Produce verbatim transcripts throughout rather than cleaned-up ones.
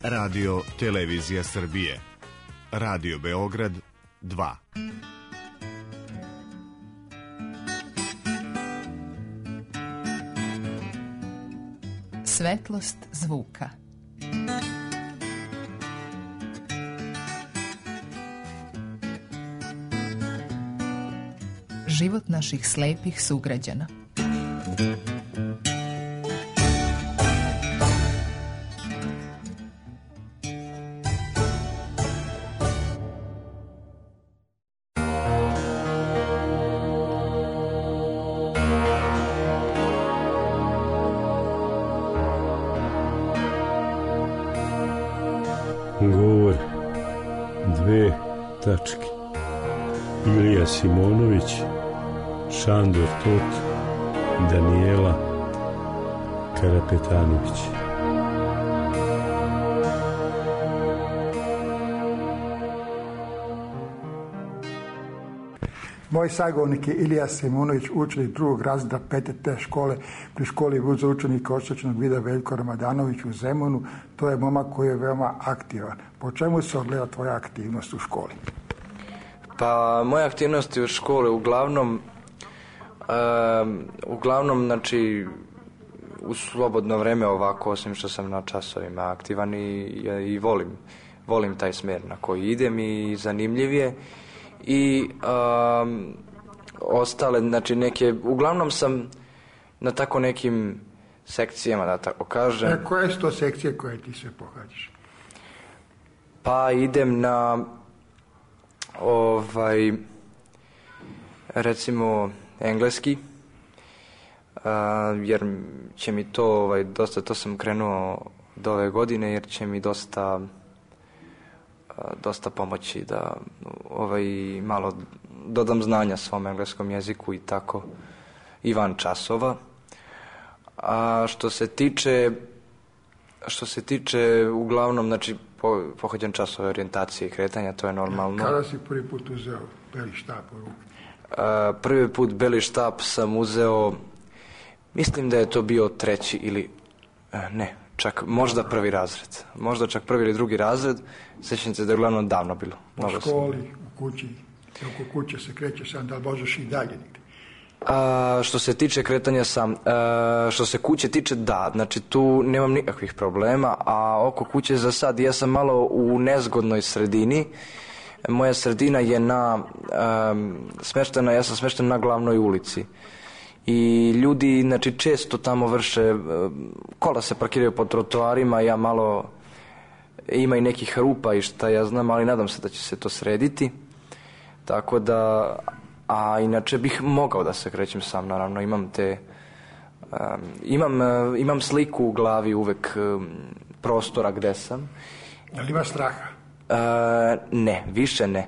Radio Televizija Srbije. Radio Beograd dva. Svetlost zvuka. Život naših slepih sugrađana. Govor, dve tačke. Ilija Simonović, Šandor Tot, Danijela Karapetanović. Moj sagovornik je Ilija Simonović, učenik drugog razreda pete te škole pri školi za učenika oštećenog vida Veljko Ramadanović u Zemunu. To je momak koji je veoma aktivan. Po čemu se ogleda tvoja aktivnost u školi? Pa moje aktivnosti u školi uglavnom um, uglavnom znači u slobodno vreme ovako, osim što sam na časovima aktivan i, i volim volim taj smer na koji idem i zanimljiv je. I um, ostale, znači neke, uglavnom sam na tako nekim sekcijama, da tako kažem. E, koje su to sekcije koje ti se pohađaš? Pa idem na ovaj recimo engleski, uh, jer će mi to ovaj, dosta, to sam krenuo do ove godine, jer će mi dosta dosta pomoći da ovaj, malo dodam znanja svom engleskom jeziku i tako i van časova. A što se tiče što se tiče uglavnom, znači po, pohađam časove orijentacije i kretanja, to je normalno. Kada si prvi put uzeo beli štap u ruku? A, prvi put beli štap sam uzeo, mislim da je to bio treći ili ne, čak možda prvi razred. Možda čak prvi ili drugi razred. Sjećam se da je uglavnom davno bilo. U školi, u kući, oko kuće se krećeš sam, da li možeš i dalje negdje? A, što se tiče kretanja sam, a, što se kuće tiče, da, znači tu nemam nikakvih problema, a oko kuće za sad ja sam malo u nezgodnoj sredini. Moja sredina je na a, smeštena, ja sam smešten na glavnoj ulici. I ljudi, znači, često tamo vrše, kola se parkiraju po trotoarima, ja malo, ima i nekih rupa i šta ja znam, ali nadam se da će se to srediti. Tako da, a inače bih mogao da se krećem sam, naravno, imam te, um, imam, uh, imam sliku u glavi uvek um, prostora gde sam. Je li ima straha? Uh, ne, više ne.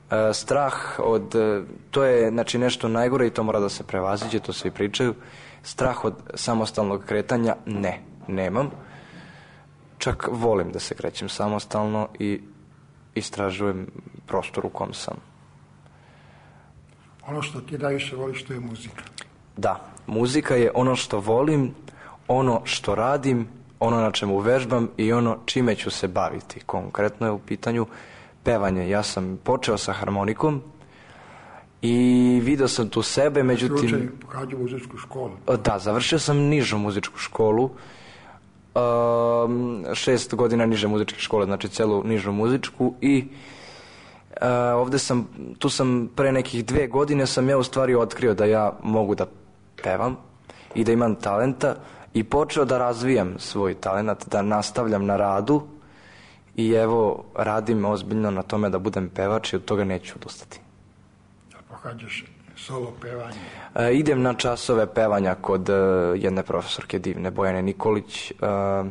Uh, strah od, uh, to je znači nešto najgore i to mora da se prevaziđe, to svi pričaju. Strah od samostalnog kretanja, ne, nemam. Čak volim da se krećem samostalno i istražujem prostor u kom sam. Ono što ti najviše voliš, to je muzika. Da, muzika je ono što volim, ono što radim, ono na čemu vežbam i ono čime ću se baviti. Konkretno je u pitanju pevanje. Ja sam počeo sa harmonikom i video sam tu sebe, međutim... Slučaj, pohađao muzičku školu. Da, završio sam nižu muzičku školu, um, šest godina niže muzičke škole, znači celu nižu muzičku i uh, ovde sam, tu sam pre nekih dve godine sam ja u stvari otkrio da ja mogu da pevam i da imam talenta i počeo da razvijam svoj talent, da nastavljam na radu. I evo, radim ozbiljno na tome da budem pevač i od toga neću odustati. Da pohađaš solo pevanje? E, idem na časove pevanja kod uh, jedne profesorke divne, Bojane Nikolić, uh,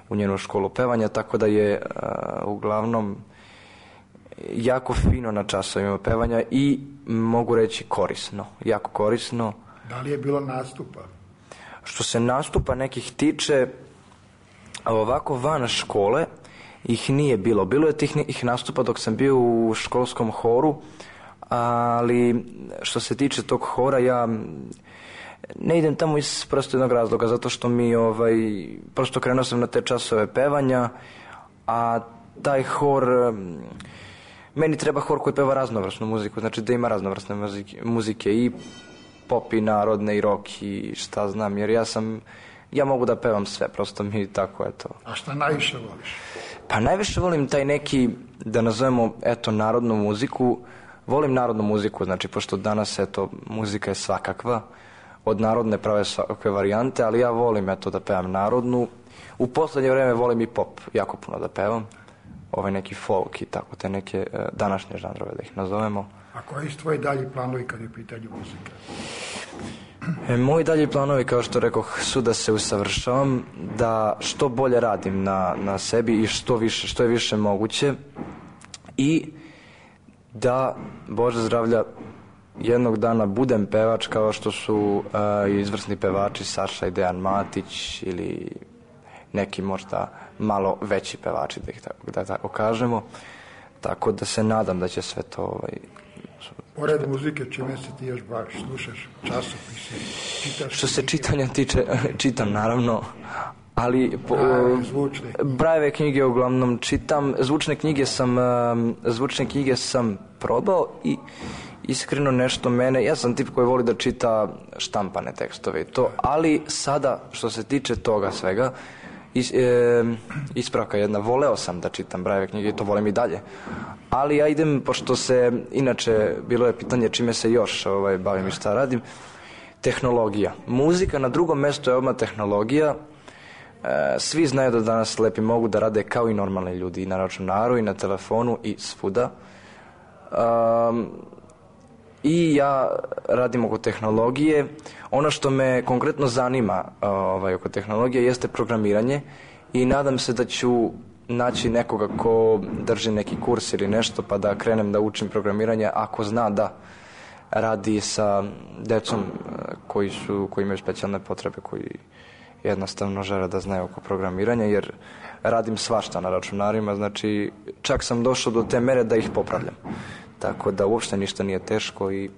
u njenu školu pevanja, tako da je uh, uglavnom jako fino na časovima pevanja i mogu reći korisno, jako korisno. Da li je bilo nastupa? Što se nastupa nekih tiče, ovako van škole, ih nije bilo. Bilo je tih ih nastupa dok sam bio u školskom horu, ali što se tiče tog hora, ja Ne idem tamo iz prosto jednog razloga, zato što mi ovaj, prosto krenuo sam na te časove pevanja, a taj hor, meni treba hor koji peva raznovrsnu muziku, znači da ima raznovrsne muzike, muzike i pop i narodne i rock i šta znam, jer ja sam, ja mogu da pevam sve, prosto mi tako, eto. A šta najviše voliš? Pa najviše volim taj neki, da nazovemo, eto, narodnu muziku, volim narodnu muziku, znači, pošto danas, eto, muzika je svakakva, od narodne prave svakakve varijante, ali ja volim, eto, da pevam narodnu. U poslednje vreme volim i pop, jako puno da pevam, ovaj neki folk i tako, te neke uh, današnje žanrove, da ih nazovemo. A koji su tvoji dalji planovi kad je u pitanju muzike? E, moji dalji planovi, kao što rekoh, su da se usavršavam, da što bolje radim na, na sebi i što više, što je više moguće i da, Bože zdravlja, jednog dana budem pevač kao što su uh, izvrsni pevači Saša i Dejan Matić ili neki možda malo veći pevači, da ih tako, da tako kažemo. Tako da se nadam da će sve to... Ovaj, Pored muzike, čime se ti još baviš? Slušaš časopise, čitaš? Što se čitanja tiče, čitam naravno, ali po, Brajeve, zvučne knjige. Brajeve knjige uglavnom čitam. Zvučne knjige sam, zvučne knjige sam probao i iskreno nešto mene, ja sam tip koji voli da čita štampane tekstove i to, ali sada što se tiče toga svega, Is, e, ispravka jedna, voleo sam da čitam Brajeve knjige i to volim i dalje, ali ja idem, pošto se, inače bilo je pitanje čime se još ovaj, bavim i šta radim, tehnologija. Muzika na drugom mjestu je odmah tehnologija. E, svi znaju da danas slepi mogu da rade kao i normalni ljudi, i na računaru i na telefonu i svuda. Um, I ja radim oko tehnologije. Ono što me konkretno zanima ovaj, oko tehnologije jeste programiranje i nadam se da ću naći nekoga ko drži neki kurs ili nešto pa da krenem da učim programiranje ako zna da radi sa decom koji, su, koji imaju specijalne potrebe, koji jednostavno žele da znaju oko programiranja, jer radim svašta na računarima, znači čak sam došao do te mere da ih popravljam. Tako da uopšte ništa nije teško i...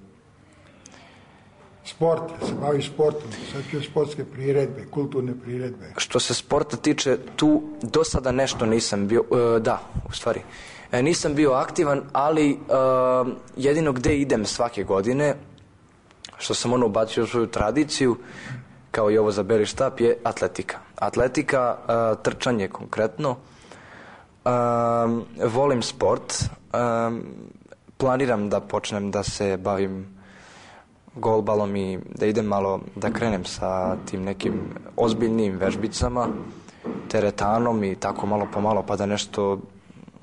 Sport, se bavi sportom, sad ću sportske priredbe, kulturne priredbe. Što se sporta tiče, tu do sada nešto nisam bio, uh, da, u stvari, e, nisam bio aktivan, ali uh, jedino gde idem svake godine, što sam ono ubacio u svoju tradiciju, kao i ovo za beli štap, je atletika. Atletika, uh, trčanje konkretno, uh, volim sport, uh, planiram da počnem da se bavim golbalom i da idem malo, da krenem sa tim nekim ozbiljnim vežbicama, teretanom i tako malo po malo, pa da nešto,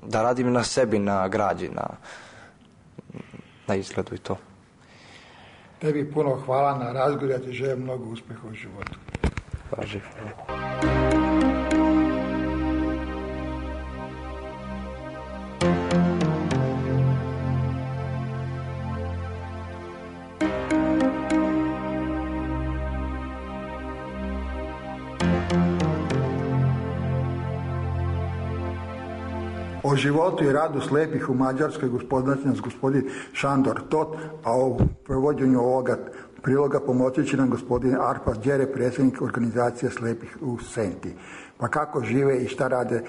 da radim na sebi, na građi, na, na izgledu i to. Tebi puno hvala na razgovor, ja ti želim mnogo uspeha u životu. Važi, hvala. O životu i radu slepih u Mađarskoj gospodin nas gospodin Šandor Tot, a o provođenju ovoga priloga pomoći će nam gospodin Arpad Đere, predsjednik organizacije slepih u Senti. Pa kako žive i šta rade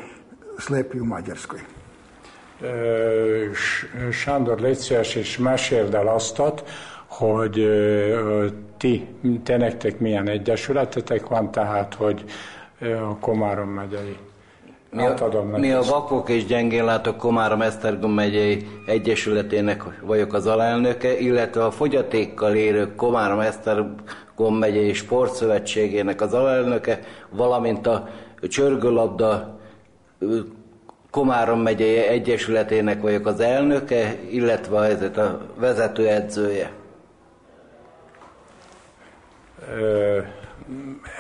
slepi u Mađarskoj? Sándor, légy szíves, és meséld el azt, hogy ti, te nektek milyen egyesületetek van, tehát, hogy a Komárom megyei. Mi a, mi a vakok és gyengénlátók Komárom-Esztergom megyei egyesületének vagyok az alelnöke, illetve a fogyatékkal élők Komárom-Esztergom megyei sportszövetségének az alelnöke, valamint a csörgőlabda Komárom megyei egyesületének vagyok az elnöke, illetve ezért a vezetőedzője.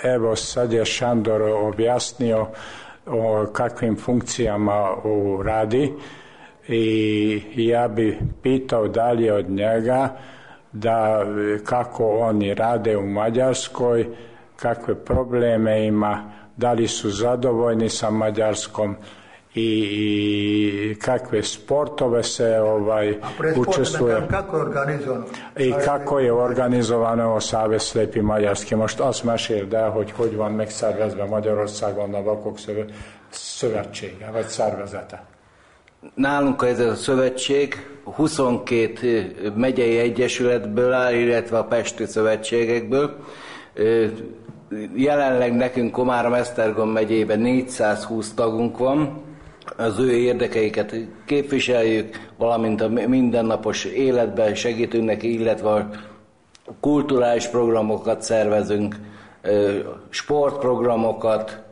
Evo sad je Šandor objasnio o kakvim funkcijama radi i ja bi pitao dalje od njega da kako oni rade u Mađarskoj, kakve probleme ima, da li su zadovoljni sa Mađarskom i, i kakve sportove se ovaj, učestvuje. Kako je organizovano? I kako je organizovano Savez Slepih Maďarski. Most azt meséld el, hogy hogy van megszervezve Magyarországon a vakok szövetsége, vagy szervezete. Nálunk ez a szövetség huszonkét megyei egyesületből áll, illetve a pesti szövetségekből. Jelenleg nekünk Komárom-Esztergom megyében négyszázhúsz tagunk van, az ő érdekeiket képviseljük, valamint a mindennapos életben segítünk neki, illetve a kulturális programokat szervezünk, sportprogramokat.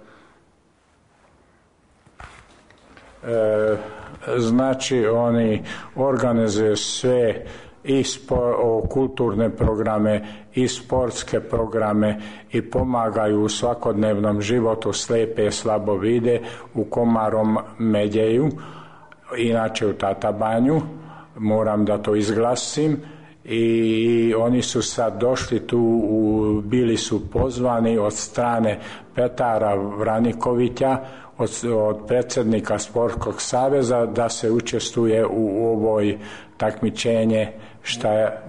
Znači oni organizuju sve i spor, kulturne programe i sportske programe i pomagaju u svakodnevnom životu slijepe i slabovide u Komarom Medjeju, inače u Tatabanju, moram da to izglasim. I oni su sad došli tu, u, bili su pozvani od strane Petara Vranikovića, od, od predsjednika Sportskog saveza, da se učestvuje u ovoj takmičenje šta je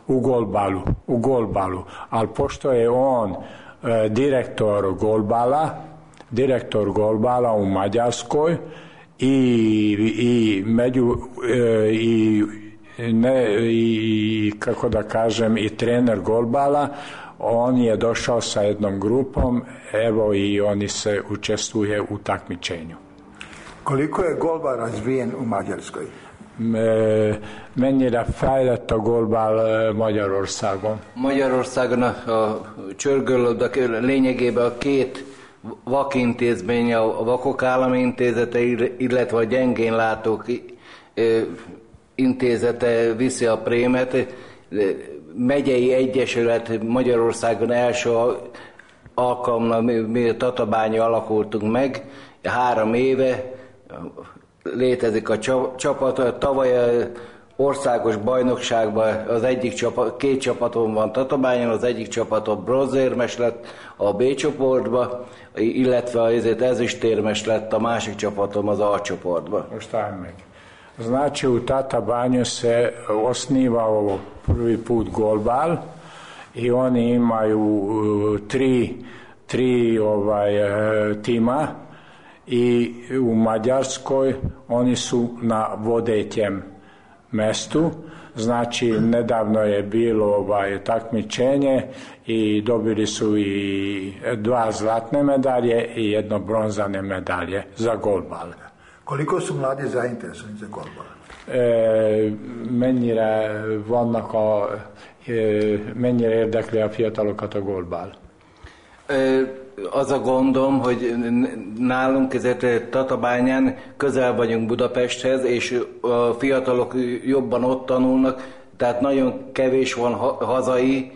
u golbalu, u golbalu. Ali pošto je on e, direktor golbala, direktor golbala u Mađarskoj i, i među e, i Ne, i kako da kažem i trener golbala, on je došao sa jednom grupom, evo i oni se učestvuje u takmičenju. Koliko je golbal razvijen u Mađarskoj? Mennyire fejlett a golbál Magyarországon? Magyarországon a, a csörgőlabda lényegében a két vakintézmény, a Vakok Állami Intézete, illetve a gyengén látók intézete viszi a prémet. Megyei egyesület Magyarországon első alkalommal mi a Tatabányi alakultunk meg, három éve létezik a csapat. Tavaly országos bajnokságban az egyik csapat, két csapaton van Tatabányon, az egyik csapaton bronzérmes lett a B csoportba, illetve azért ezüstérmes lett a másik csapatom az A csoportba. Most állj meg. Znači u Tatabanju se osnivao prvi put golbal i oni imaju uh, tri, tri ovaj, uh, tima i u Mađarskoj oni su na vodećem mestu. Znači nedavno je bilo ovaj, takmičenje i dobili su i dva zlatne medalje i jedno bronzane medalje za golbal. Koliko su mladi zainteresovani za golbal? E, mennyire vannak a, e, mennyire érdekli a fiatalokat a golbal? Az a gondom, hogy nálunk ezért Tatabányán közel vagyunk Budapesthez, és a fiatalok jobban ott tanulnak, tehát nagyon kevés van hazai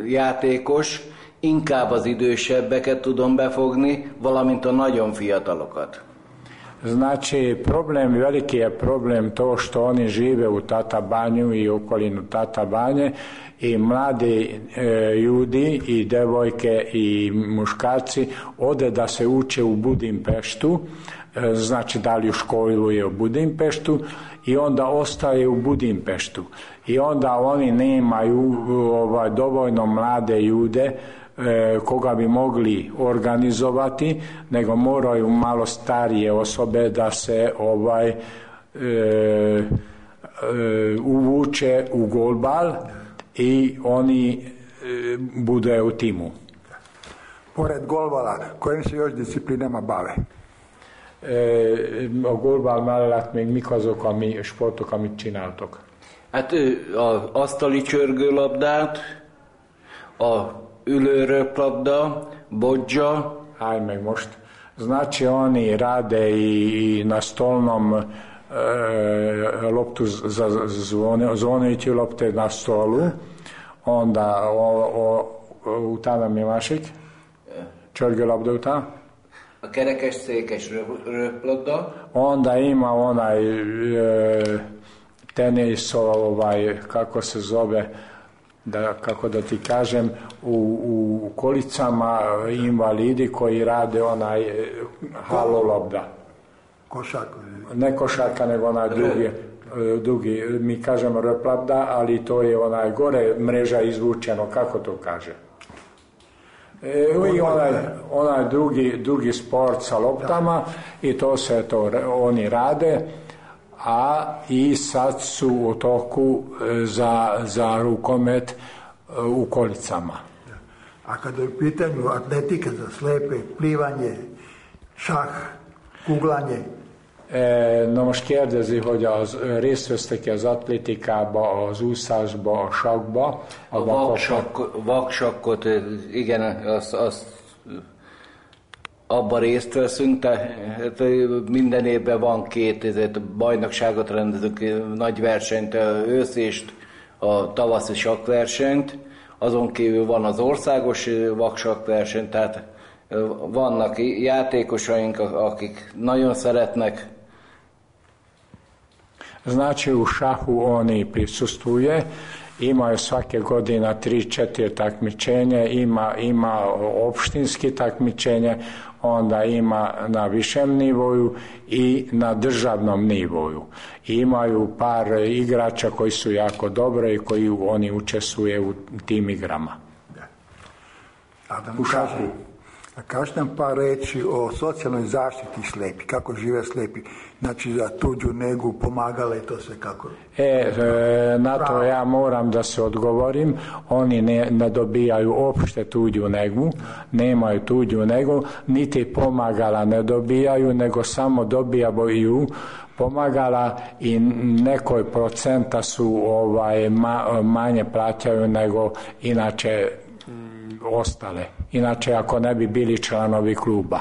játékos, inkább az idősebbeket tudom befogni, valamint a nagyon fiatalokat. Znači, problem, veliki je problem to što oni žive u Tatabanju i okolinu Tatabanje i mladi e, ljudi i devojke i muškarci ode da se uče u Budimpeštu, e, znači da li u školu je u Budimpeštu i onda ostaje u Budimpeštu i onda oni nemaju ovaj, dovoljno mlade ljude koga bi mogli organizovati, nego moraju malo starije osobe da se ovaj e, e, uvuče u golbal i oni e, bude u timu. Pored golbala, kojim se još disciplinama bave? E, a golbal mellett még mik azok a mi sportok, amit csináltok? Hát az asztali csörgőlabdát, a ülőröplabda, bodzsa. Aj meg most. Znači oni rade i, i na stolnom e, loptu za zvoneću lopte na stolu. Onda o, o, utána mi másik? Csörgőlabda után? A kerekes székes röplabda. Onda ima onaj e, tenis, ovaj, kako se zove, da, kako da ti kažem, u, u kolicama invalidi koji rade onaj halolobda. Košarka. Ne košarka, nego onaj drugi, drugi, mi kažemo replabda, ali to je onaj gore mreža izvučeno, kako to kaže? E, i onaj, onaj drugi, drugi sport sa loptama i to se to oni rade, a i sad su u toku za, za rukomet u kolicama. A kada je u pitanju atletika za slepe, plivanje, šah, kuglanje? E, nos kérdezi, hogy az részt vesztek az atlétikába, az úszásba, a sakba. A, a vaksak, vaksakkot, igen, azt, azt abban részt veszünk, tehát minden évben van két ezért, bajnokságot rendezünk, nagy versenyt, őszést, a tavaszi sakversenyt, azon kívül van az országos vaksakverseny, tehát vannak játékosaink, akik nagyon szeretnek. Znači u šahu oni prisustvuje, imaju svake godine tri četiri takmičenje, ima, ima opštinski takmičenje, onda ima na višem nivoju i na državnom nivoju. I imaju par igrača koji su jako dobre i koji oni učestvuje u tim igrama. Adam, u šahu. A kažete nam par reći o socijalnoj zaštiti slepi, kako žive slepi, znači za tuđu negu, pomagale i to sve kako? E, e, na to ja moram da se odgovorim, oni ne, ne dobijaju opšte tuđu negu, nemaju tuđu negu, niti pomagala ne dobijaju, nego samo dobijaju pomagala i nekoj procenta su ovaj, ma, manje plaćaju nego inače ostale. Inače, ako ne bi bili članovi kluba,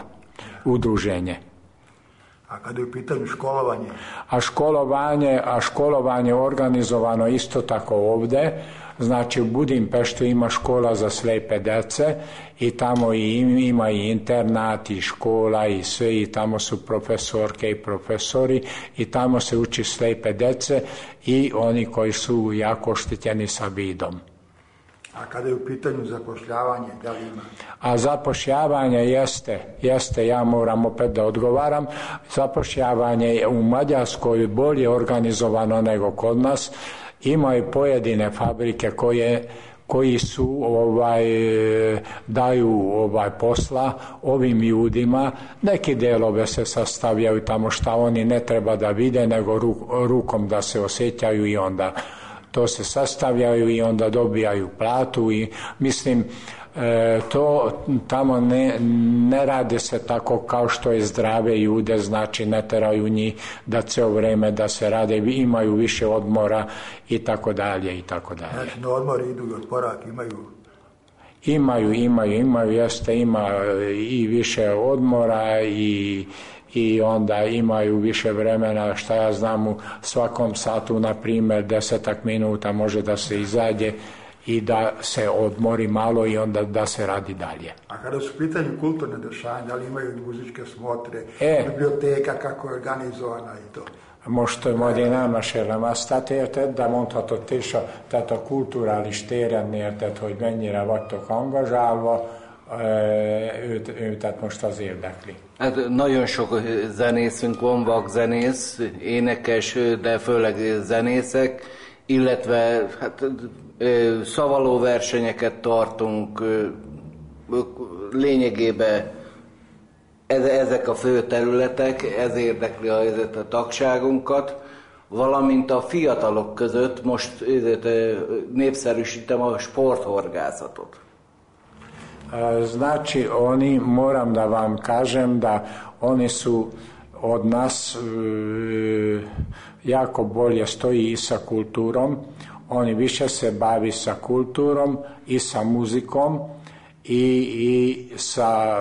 udruženje. A kada je u pitanju školovanje? A školovanje, a školovanje organizovano isto tako ovde. Znači, u Budimpeštu ima škola za slepe dece i tamo i ima i internat i škola i sve, i tamo su profesorke i profesori i tamo se uči slepe dece i oni koji su jako oštećeni sa vidom. A kada je u pitanju zapošljavanje, da li ima? A zapošljavanje jeste, jeste, ja moram opet da odgovaram, zapošljavanje je u Mađarskoj bolje organizovano nego kod nas. Imaju pojedine fabrike koje, koji su ovaj, daju ovaj posla ovim ljudima, neki delove se sastavljaju tamo šta oni ne treba da vide, nego ru, rukom da se osjećaju i onda to se sastavljaju i onda dobijaju platu i mislim e, to tamo ne, ne rade se tako kao što je zdrave ljude, znači ne teraju njih da ceo vreme da se rade, imaju više odmora i tako dalje i tako dalje. Znači na odmor idu i odporak imaju? Imaju, imaju, imaju, jeste, ima i više odmora i i onda imaju više vremena, šta ja znam, u svakom satu, na primjer, desetak minuta može da se izađe i da se odmori malo i onda da se radi dalje. A kada su pitanju kulturne dešanja, da li imaju muzičke smotre, e, biblioteka, kako je organizovana i to? Most majd én elmesélem azt, tehát érted, de mondhatod is, a, tehát a kulturális téren érted, hogy mennyire vagytok angazsálva, őt, őt tehát most az érdekli. Hát nagyon sok zenészünk van, vakzenész, énekes, de főleg zenészek, illetve hát, szavaló versenyeket tartunk, lényegében ezek a fő területek, ez érdekli a, a tagságunkat, valamint a fiatalok között most népszerűsítem a sporthorgászatot. Znači, oni, moram da vam kažem da oni su od nas e, jako bolje stoji i sa kulturom. Oni više se bavi sa kulturom i sa muzikom i, i sa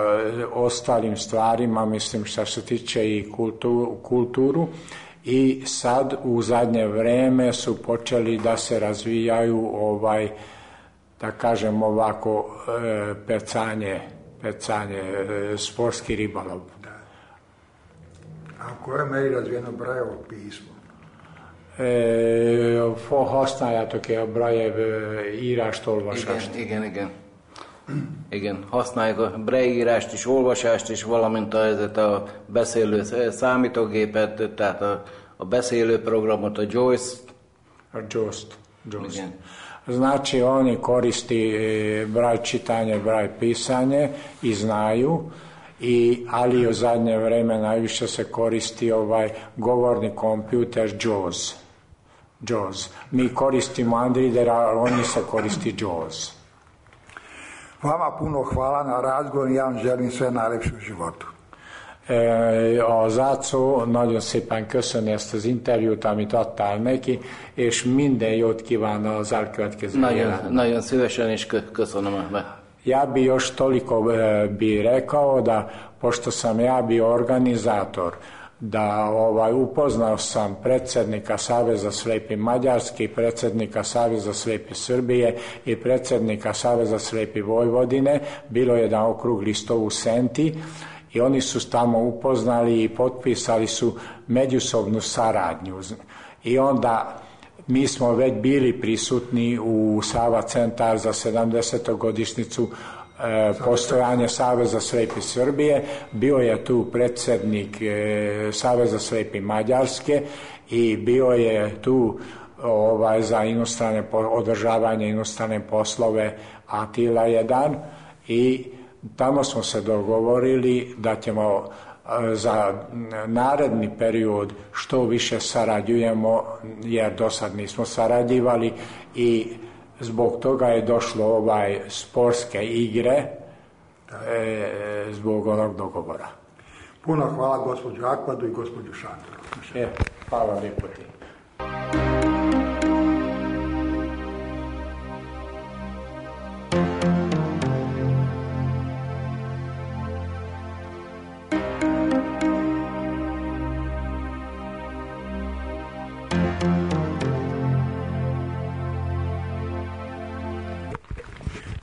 ostalim stvarima, mislim što se tiče i kulturu, kulturu. I sad u zadnje vreme su počeli da se razvijaju ovaj, da kažem ovako, e, pecanje, pecanje, e, sportski ribolov. Da. A u kojoj meri razvijeno Brajevo pismo? használjátok -e a Braille írást, olvasást? Igen, igen, igen. Igen, használjuk a Braille írást is, olvasást is, valamint a, a beszélő számítógépet, tehát a, a beszélő programot, a Joyce. A Joyce. Joyce. Znači oni koristi Braille čitanje, Braille pisanje i znaju, i, ali u zadnje vreme najviše se koristi ovaj govorni kompjuter Jaws. Jaws. Mi koristimo Android, a oni se koristi Jaws. Vama puno hvala na razgovor i ja vam želim sve najlepše u životu. Az Ácó nagyon szépen köszöni ezt az interjút, amit adtál neki, és minden jót kíván az elkövetkező életben. Nagyon szívesen és köszönöm. Ja bi još toliko bi rekao da, pošto sam ja bio organizator, da ovaj, upoznao sam predsjednika Saveza slijepih Mađarske, predsjednika Saveza slijepih Srbije i predsjednika Saveza slijepih Vojvodine. Bilo je jedan okrugli stol u Senti i oni su tamo upoznali i potpisali su međusobnu saradnju. I onda mi smo već bili prisutni u Sava centar za sedamdesetogodišnjicu e, postojanja Saveza slijepih Srbije. Bio je tu predsjednik e, Saveza slijepih Mađarske i bio je tu ovaj, za inostrane, održavanje inostrane poslove Atila jedan, i tamo smo se dogovorili da ćemo za naredni period što više sarađujemo, jer do sad nismo sarađivali, i zbog toga je došlo ovaj sportske igre e, zbog onog dogovora. Puno hvala gospođu Akvadu i gospođu Šandoru. E, hvala lijepo ti.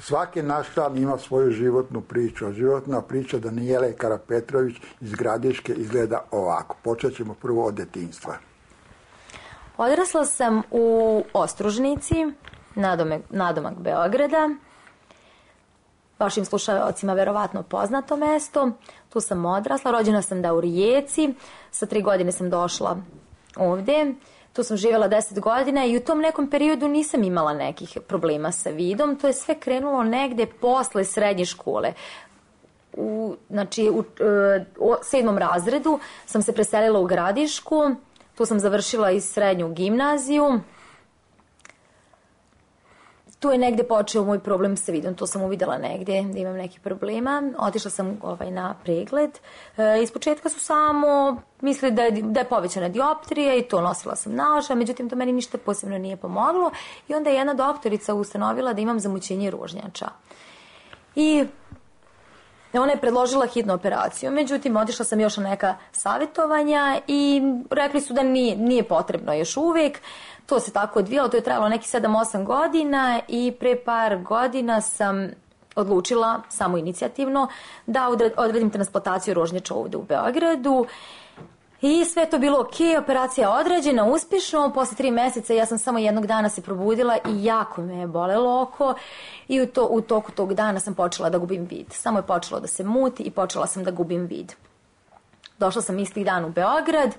Svaki naš član ima svoju životnu priču, a životna priča Danijele Karapetrović iz Gradiške izgleda ovako. Počet ćemo prvo od detinjstva. Odrasla sam u Ostružnici, nadomak, nadomak Beograda. Vašim slušalcima verovatno poznato mesto. Tu sam odrasla, rođena sam da u Rijeci, sa tri godine sam došla ovde. Tu sam živjela deset godina i u tom nekom periodu nisam imala nekih problema sa vidom. To je sve krenulo negde posle srednje škole. U, znači, u, u sedmom razredu sam se preselila u Gradišku. Tu sam završila i srednju gimnaziju. Tu je negde počeo moj problem sa vidom. To sam uvidela negde da imam nekih problema. Otišla sam ovaj, na pregled. E, iz početka su samo mislili da je, da je povećana dioptrija i to nosila sam naočar, međutim to meni ništa posebno nije pomoglo. I onda je jedna doktorica ustanovila da imam zamućenje ružnjača. I ona je predložila hitnu operaciju. Međutim, otišla sam još na neka savjetovanja i rekli su da nije, nije potrebno još uvijek. To se tako odvijalo, to je trajalo neki sedam osam godina i pre par godina sam odlučila samo inicijativno da odredim transplantaciju ružnjača ovde u Beogradu. I sve to bilo ok, operacija je određena uspješno, posle tri meseca ja sam samo jednog dana se probudila i jako me je bolelo oko i u, to, u toku tog dana sam počela da gubim vid. Samo je počelo da se muti i počela sam da gubim vid. Došla sam istih dan u Beograd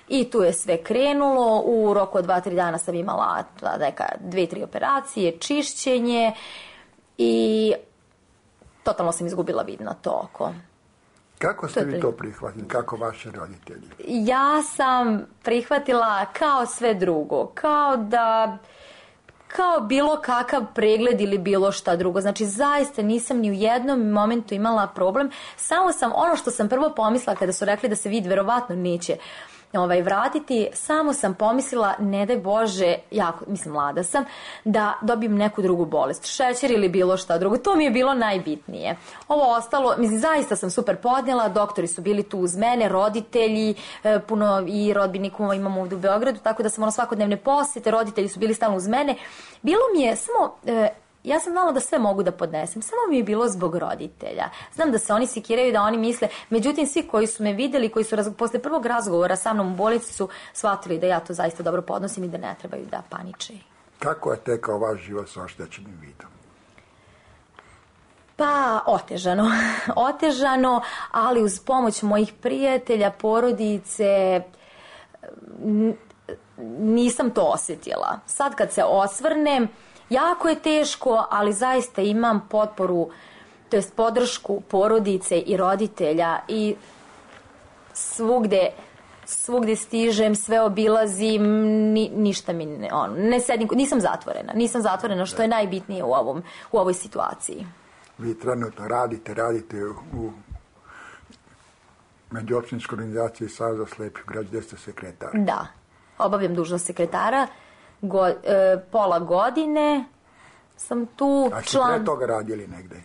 i tu je sve krenulo. U roku od dva tri dana sam imala neka dve tri operacije, čišćenje i totalno sam izgubila vid na to oko. Kako ste vi to prihvatili? Kako vaši roditelji? Ja sam prihvatila kao sve drugo. Kao da... kao bilo kakav pregled ili bilo šta drugo. Znači, zaista nisam ni u jednom momentu imala problem. Samo sam, ono što sam prvo pomislila kada su rekli da se vid verovatno neće ovaj, vratiti, samo sam pomislila, ne daj Bože, jako, mislim, mlada sam, da dobijem neku drugu bolest, šećer ili bilo šta drugo. To mi je bilo najbitnije. Ovo ostalo, mislim, zaista sam super podnijela, doktori su bili tu uz mene, roditelji, puno i rodbinikuma imamo ovdje u Beogradu, tako da sam ono svakodnevne posjete, roditelji su bili stalno uz mene. Bilo mi je samo... ja sam znala da sve mogu da podnesem, samo mi je bilo zbog roditelja. Znam da se oni sikiraju, da oni misle, međutim svi koji su me videli, koji su raz... posle prvog razgovora sa mnom u bolnici su shvatili da ja to zaista dobro podnosim i da ne trebaju da paniče. Kako je tekao vaš život sa oštećenim vidom? Pa, otežano. Otežano, ali uz pomoć mojih prijatelja, porodice, nisam to osjetila. Sad kad se osvrnem, jako je teško, ali zaista imam potporu, to jest podršku porodice i roditelja i svugde, svugde stižem, sve obilazim, ni, ništa mi ne, on, ne sedim, nisam zatvorena, nisam zatvorena, što je najbitnije u, ovom, u ovoj situaciji. Vi trenutno radite, radite u međuopštinskoj organizaciji Saveza slepih građana, gde ste sekretar. Da, obavljam dužnost sekretara, Go, e, pola godine sam tu. A ste član... pre toga radili negde?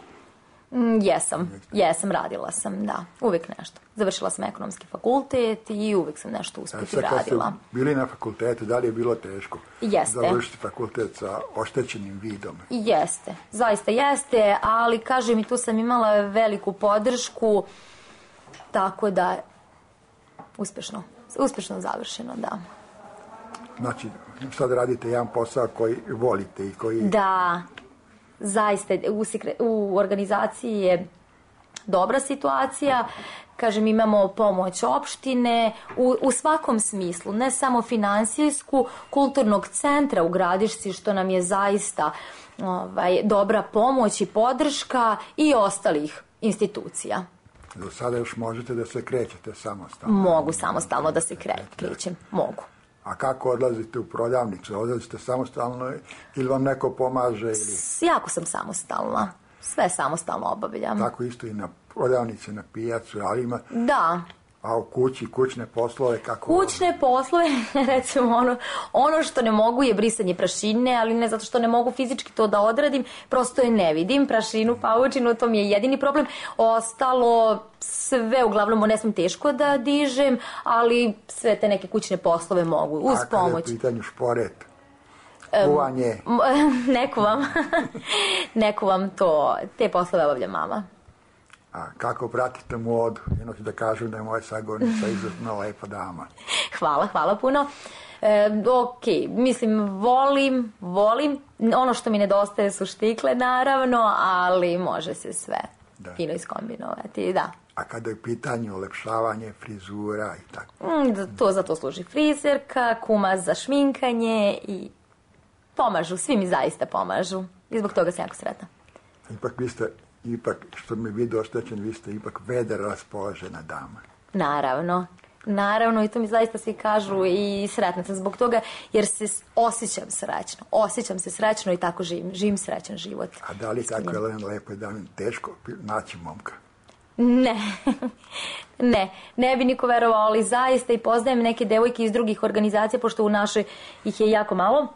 Mm, jesam, jesam, radila sam, da, uvijek nešto. Završila sam ekonomski fakultet i uvijek sam nešto usput radila. Kad ste bili na fakultetu, da li je bilo teško jeste. završiti fakultet sa oštećenim vidom? Jeste, zaista jeste, ali kažem i tu sam imala veliku podršku, tako da uspješno, uspješno završeno, da. Znači, sad radite jedan posao koji volite i koji... Da, zaista, u, sekre, u organizaciji je dobra situacija, kažem, imamo pomoć opštine u, u svakom smislu, ne samo finansijsku, kulturnog centra u Gradišci, što nam je zaista ovaj, dobra pomoć i podrška i ostalih institucija. Do sada još možete da se krećete samostalno? Mogu samostalno da se kre, krećem, mogu. A kako odlazite u prodavnicu? Odlazite samostalno ili vam neko pomaže? Ili... Jako sam samostalna. Sve samostalno obavljam. Tako isto i na prodavnici, na pijacu, ali ima... Da. A u kući, kućne poslove kako... Kućne poslove, recimo ono, ono što ne mogu je brisanje prašine, ali ne zato što ne mogu fizički to da odradim, prosto je ne vidim, prašinu, paučinu, to mi je jedini problem. Ostalo, sve uglavnom ne smem teško da dižem, ali sve te neke kućne poslove mogu, uz A pomoć. A kada je pitanju šporet? Kuvanje? Um, neko vam, neko vam to, te poslove obavlja mama. A kako pratite modu? Jedno ću da kažem da je moja sagovornica izuzetno lepa dama. Hvala, hvala puno. E, ok, mislim, volim, volim. Ono što mi nedostaje su štikle, naravno, ali može se sve da. Fino iskombinovati, da. A kada je pitanje ulepšavanje, frizura i tako? Mm, to za to služi frizerka, kuma za šminkanje i pomažu, svi mi zaista pomažu. I zbog toga sam jako sretna. Ipak vi ste... Ipak, što mi vidi oštećen, vi ste ipak vedar raspoložena dama. Naravno, naravno i to mi zaista svi kažu i sretna sam zbog toga jer se osjećam srećno, osjećam se srećno i tako živim, živim srećan život. A da li tako je lepo dami teško naći momka? Ne, ne, ne bi niko verovao, ali zaista i poznajem neke devojke iz drugih organizacija, pošto u našoj ih je jako malo.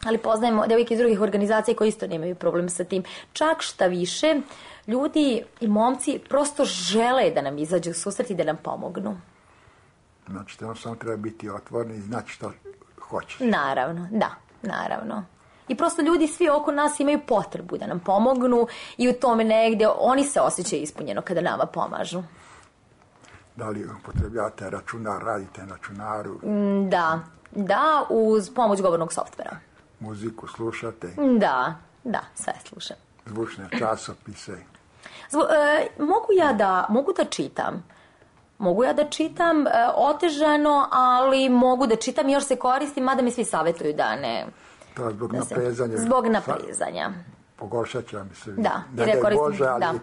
Ali poznajemo devojke iz drugih organizacija koji isto nemaju problem sa tim. Čak šta više, ljudi i momci prosto žele da nam izađu u susret i da nam pomognu. Znači, tamo samo treba biti otvoreni i znači što hoćeš. Naravno, da, naravno. I prosto ljudi svi oko nas imaju potrebu da nam pomognu i u tome negde oni se osjećaju ispunjeno kada nama pomažu. Da li upotrebljate računar, radite na računaru? Da, da, uz pomoć govornog softvera. Muziku slušate? Da, da, sve slušam. Zvučne časopise? Zvu, e, mogu ja da, mogu da čitam. Mogu ja da čitam e, otežano, ali mogu da čitam i još se koristim, mada mi svi savjetuju da ne... To je zbog da naprezanja. Se, zbog naprezanja. Pogoršat će vam se. Da, jer ja koristim, Bože, ali da.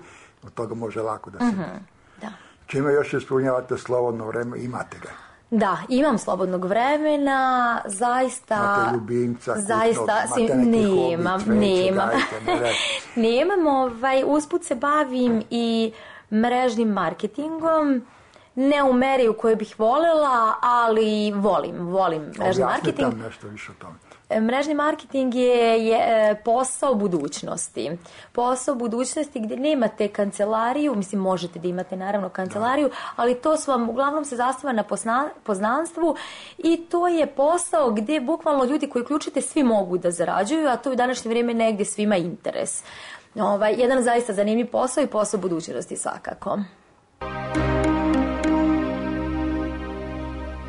od toga može lako da se... Mm-hmm, da. Čime još ispunjavate slobodno vreme, imate ga? Da, imam slobodnog vremena, zaista... Imate ljubimca, zaista, kućnog, imate neki nemam, hobi, cveće, nemam. dajte, ne nemam, ovaj, usput se bavim i mrežnim marketingom, ne u meri u kojoj bih volela, ali volim, volim mrežni marketing. Objasnite nam nešto više o tome. Mrežni marketing je, je posao budućnosti. Posao budućnosti gdje nemate kancelariju, mislim možete da imate naravno kancelariju, ali to su vam uglavnom se zastava na pozna, poznanstvu i to je posao gdje bukvalno ljudi koji uključite svi mogu da zarađuju, a to je u današnje vrijeme negdje svima interes. Ovaj, jedan zaista zanimljiv posao i posao budućnosti svakako.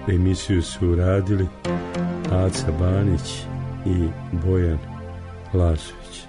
Emisiju su uradili Aca Banić i Bojan Lasović.